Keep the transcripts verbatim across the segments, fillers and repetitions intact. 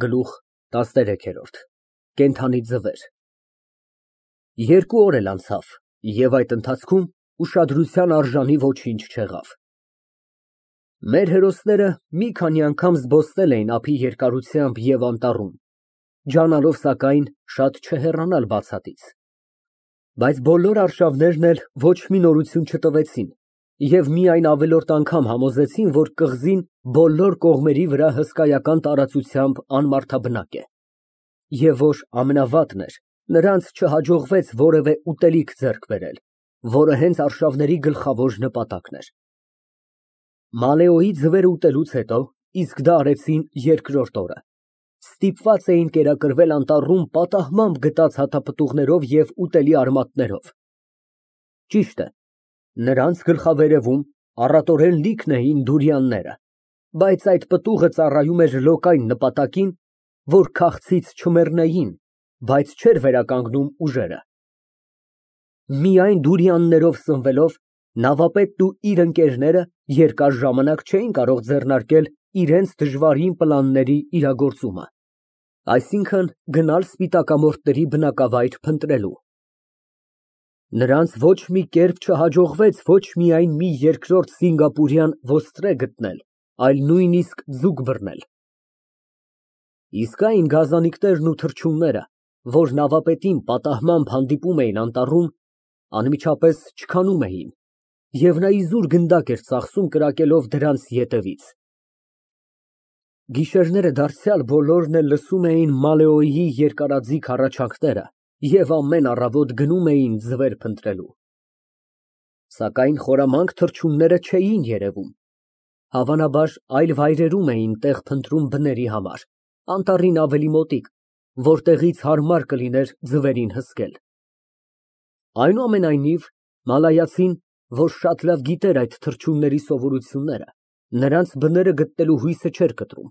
Գլուխ տասներեք։ Կենդանի ձվեր Երկու օր էլ անցավ, և այդ ընթացքում ուշադրության արժանի ոչինչ չեղավ։ Մեր հերոսները մի քանի անգամ զբոսնել էին ափի երկարությամբ և անտառում, ջանալով սակայն շատ չհեռանալ բացատից։ Բայց բոլոր արշավներն էլ ոչ մի նորություն չտվեցին և միայն ավելորդ անգամ համոզեցին, որ կղզին բոլոր կողմերի վրա հսկայական տարածությամբ անմարդաբնակ է, և որ ամենավատն էր, նրանց չհաջողվեց որևէ ուտելիք ձեռք բերել, որը հենց արշավների գլխավոր նպատակն էր։ Մալեոյի ձվերը ուտելուց հետո, իսկ դա արեցին երկրորդ օրը, ստիպված էին կերակրվել անտառում պատահմամբ գտած հատապտուղներով և ուտելի արմատներով։ Ճիշտ է, նրանց գլխավերևում առատորեն լիքն էին դուրիանները, բայց այդ պտուղը ծառայում էր լոկային նպատակին, որ քաղցից չմեռնեին, բայց չէր վերականգնում ուժերը։ Միայն դուրիաններով սնվելով, նավապետն ու իր ընկերները երկար ժամանակ չէին կարող ձեռնարկել իրենց դժվարին պլանների իրագործումը, այսինքն՝ գնալ սպիտակամորթների բնակավայր փնտրելու։ Նրանց ոչ մի կերպ չհաջողվեց ոչ միայն մի երկրորդ սինգապուրյան ոստրե գտնել, այլ նույնիսկ ձուկ բռնել։ Իսկ այն գազանիկներն ու թռչունները, որ նավապետին պատահմամբ հանդիպում էին անտառում, անմիջապես չքանում էին, և նա իզուր գնդակ էր ծախսում կրակելով դրանց ետևից։ Գիշերները դարձյալ բոլորն էլ լսում էին Մալեոյի երկարաձիգ հառաչանքները և ամեն առավոտ գնում էին ձվեր փնտրելու։ Սակայն խորամանկ թռչունները չէին երևում, հավանաբար այլ վայրերում էին տեղ փնտրում բների համար, անտառին ավելի մոտիկ, որտեղից հարմար կլիներ ձվերին հսկել։ Այնուամենայնիվ, մալայացին, որ շատ լավ գիտեր այդ թռչունների սովորությունները, նրանց բները գտնելու հույսը չէր կտրում։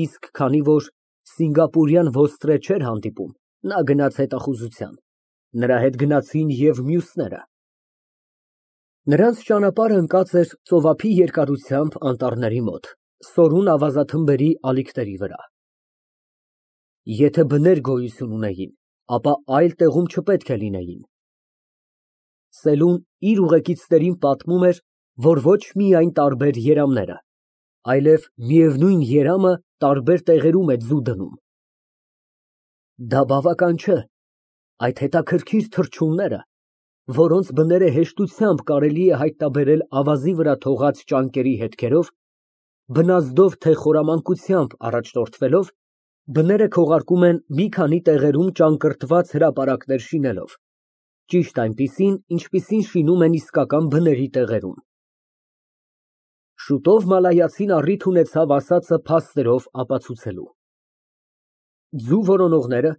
Իսկ քանի որ սինգապուրյան ոստրե չէր հանդիպում, նա գնաց հետախուզության, նրա հետ գնացին և մյուսները։ Նրանց ճանապարհը ընկած էր ծովափի երկարությամբ անտառների մոտ, սորուն ավազաթմբերի ալիքների վրա։ Եթե բներ գոյություն ունեին, ապա այլ տեղում չպետք է լինեին։ Սելուն իր ուղեկիցներին պատմում էր, որ ոչ միայն տարբեր երամները, այլև միևնույն երամը տարբեր տեղերում է ձու դնում։ Դա բավական չէ, այդ հետաքրքիր թռչունները, որոնց բները հեշտությամբ կարելի է հայտնաբերել ավազի վրա թողած ճանկերի հետքերով, բնազդով թե խորամանկությամբ առաջնորդվելով, բները քողարկում են մի քանի տեղերում ճակռդված հրապարակներ շինելով, ճիշտ այնպիսին, ինչպիսին շինում են իսկական բների տեղերում։ Շուտով մալայացին առիթ ունեցավ ասածը փաստերով ապացուցելու։ Ձու որոնողները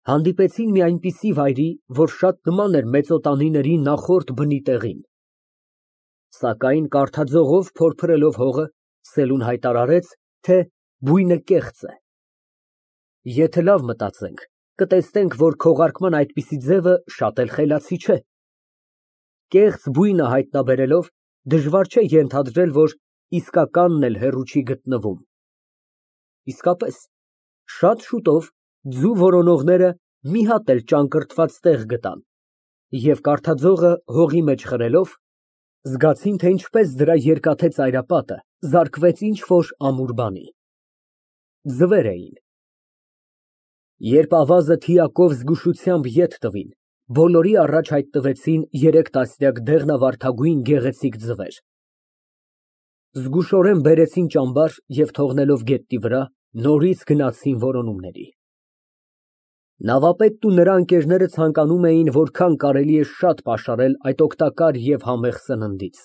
հանդիպեցին մի այնպիսի վայրի, որ շատ նման էր մեծոտանիների նախորդ բնի տեղին։ Սակայն կարդաձողով փորփրելով հողը, Սելուն հայտարարեց, թե բույնը կեղծ է։ Եթե լավ մտածենք, կտեսնենք, որ քողարկման այդպիսի ձևը շատ էլ խելացի չէ։ Կեղծ բույնը հայտնաբերելով, դժվար չէ ենթադրել, որ իսկականն էլ հեռու չի գտնվում։ Իսկապես, շատ շուտով ձու որոնողները մի հատ էլ ճանկռդված տեղ գտան և կարդաձողը հողի մեջ խրելով, զգացին, թե ինչպես դրա երկաթե ծայրապատը զարկվեց ինչ֊որ ամուր բանի։ Ձվեր էին։ Երբ ավազը թիակով զգուշությամբ ետ տվին, բոլորի առաջ հայտնվեցին երեք տասնյակ դեղնավարդագույն գեղեցիկ ձվեր։ Զգուշորեն բերեցին ճամբար և թողնելով գետնի վրա, նորից գնացին որոնումների։ Նավապետն ու նրա ընկերները ցանկանում էին որքան կարելի է շատ պաշարել այդ օգտակար և համեղ սննդից։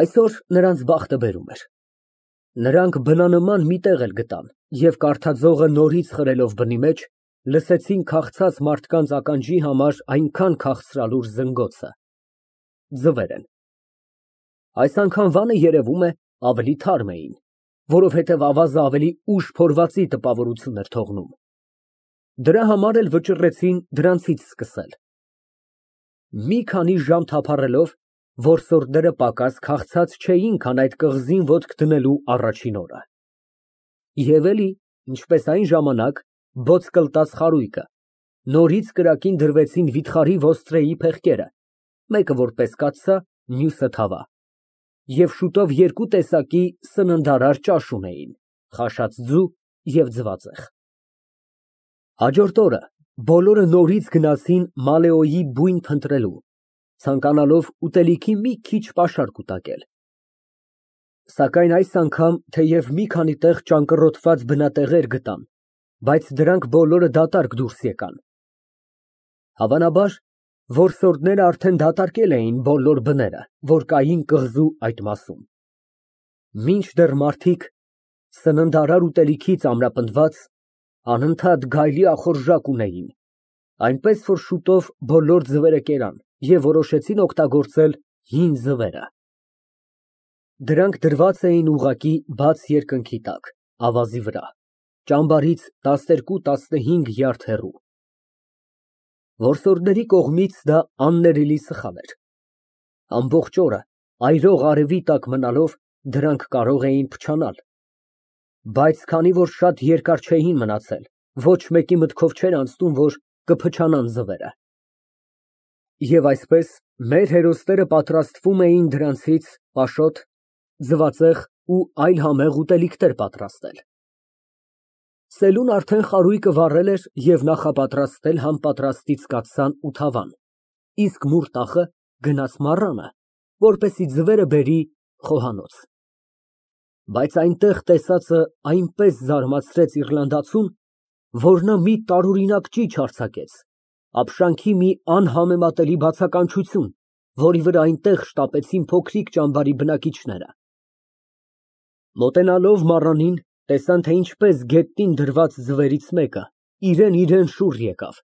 Այսօր նրանց բախտը բերում էր։ Նրանք բնանման մի տեղ էլ գտան և կարդաձողը նորից խրելով բնի մեջ, լսեցին քաղցած մարդկանց ականջի համար այնքան քաղցրալուր զնգոցը։ Ձվեր են։ Այս անգամ վանը, երևում է, ավելի թարմ էին, որովհետև ավազը ավելի ուշ փորվածի տպավորություն էր թողնում։ Դրա համար էլ վճռեցին դրանցից սկսել։ Մի քանի ժամ թափառելով, որսորդները պակաս քաղցած չէին, քան այդ կղզին ոտք դնելու առաջին օրը։ Եվ էլի, ինչպես այն ժամանակ, բոց կլտած խարույկը, նորից կրակին դրվեցին վիթխարի ոստրեի փեղկերը, մեկը որպես կաթսա, մյուսը թավա, և շուտով երկու տեսակի սննդարար ճաշ ունեին, խաշած ձու և ձվածեղ։ Հաջորդ օրը բոլորը նորից գնացին մալեոյի բույն փնտրելու, ցանկանալով ուտելիքի մի քիչ պաշար կուտակել։ Սակայն այս անգամ թեև մի քանի տեղ ճանկռոտված բնատեղեր գտան, բայց դրանք բոլորը դատարկ դուրս եկան։ Հավանաբար, որսորդները արդեն դատարկել էին բոլոր բները, որ կային կղզու այդ մասում։ Մինչդեռ մարդիկ, սննդարար ուտելիքից ամրապնդված, անընդհատ գայլի ախորժակ ունեին, այնպես որ շուտով բոլոր ձվերը կերան և որոշեցին օգտագործել հին ձվերը։ Դրանք դրված էին ուղղակի բաց երկնքի տակ, ավազի վրա, ճամբարից տասներկու֊տասնհինգ յարդ հեռու։ Որսորդների կողմից դա աններելի սխալ էր։ Ամբողջ օրը այրող արևի տակ մնալով դրանք կարող էին փչանալ, բայց քանի որ շատ երկար չէին մնացել, ոչ մեկի մտքով չէր անցնում, որ կփչանան ձվերը։ Եվ այսպես մեր հերոսները պատրաստվում էին դրանցից պաշոտ, ձվածեղ ու այլ համեղ ուտելիքներ պատրաստել։ Սելուն արդեն խարույկը վառել էր և նախապատրաստել համապատրաստից կաթսան ու թավան, իսկ մուրտախը գնաց մառանը, որպեսզի ձվերը բերի խոհանոց։ Բայց այնտեղ տեսածը այնպես զարմացրեց իռլանդացուն, որ նա մի տարօրինակ ճիչ արձակեց, ապշանքի մի անհամեմատելի բացականչություն, որի վրա այնտեղ շտապեցին փոքրիկ ճամբարի բնակիչները։ Մոտենալով մառանին, տեսան, թե ինչպես գետնին դրված ձվերից մեկը իրան֊իրան շուռ եկավ,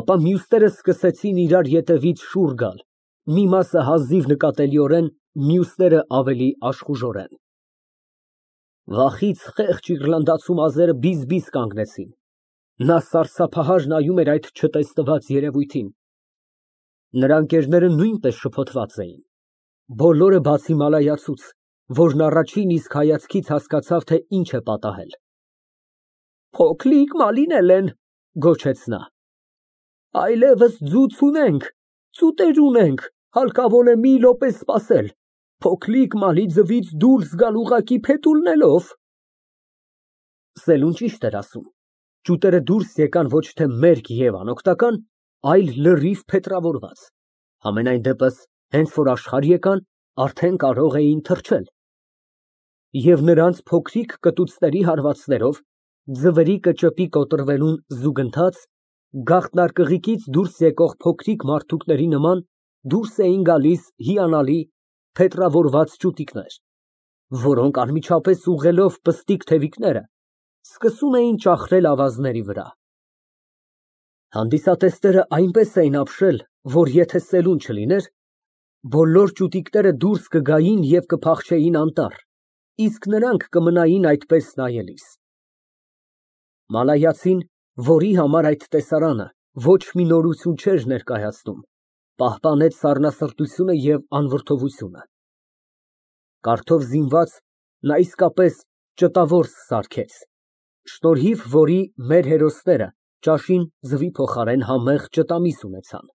ապա մյուսները սկսեցին իրար ետևից շուռ գալ, մի մասը հազիվ նկատելիորեն, մյուսները ավելի աշխուժորեն։ Վախից խեղճ իռլանդացու մազերը բիզ֊բիզ կանգնեցին, նա սարսափահար նայում էր այդ չտեսնված երևույթին։ Նրա ընկերները նույնպես շփոթված էին, բոլորը բացի մալայացուց, որն առաջին իսկ հայացքից հասկացավ, թե ինչ է պատահել։ Փոքրիկ Մալին են, գոչեց նա, այլևս ձու չունենք, ծուտեր ունենք, հարկավոր է մի րոպե սպասել, փոքրիկ Մալի ձվից դուրս գալ ուղղակի փետուրներով։ Սելուն ճիշտ էր ասում, ճուտերը դուրս եկան ոչ թե մերկ և անօգնական, այլ լրիվ փետրավորված, համենայն դեպս, հենց որ աշխարհ եկան, արդեն կարող էին թռչել։ Եվ նրանց փոքրիկ կտուցների հարվածներով, ձվերի կճեպի կոտրվելուն զուգընթաց, գաղտնարկղիկից դուրս եկող փոքրիկ մարդուկների նման դուրս էին գալիս հիանալի, փետրավորված ճուտիկներ, որոնք անմիջապես ուղղելով պստիկ թևիկները, սկսում էին ճախրել ավազների վրա։ Հանդիսատեսները այնպես էին ապշել, որ եթե սելուն չլիներ, բոլոր ճուտիկները դուրս կգային և կփախչեին անտառ, իսկ նրանք կմնային այդպես նայելիս։ Մալայացին, որի համար այդ տեսարանը ոչ մի նորություն չէր ներկայացնում, պահպանեց սառնասրտությունը և անվրդովությունը։ Կարդով զինված, նա իսկապես ճտավորս սարքեց, շնորհիվ որի մեր հերոսները ճաշին ձվի փոխարեն համեղ ճտամիս ունեցան։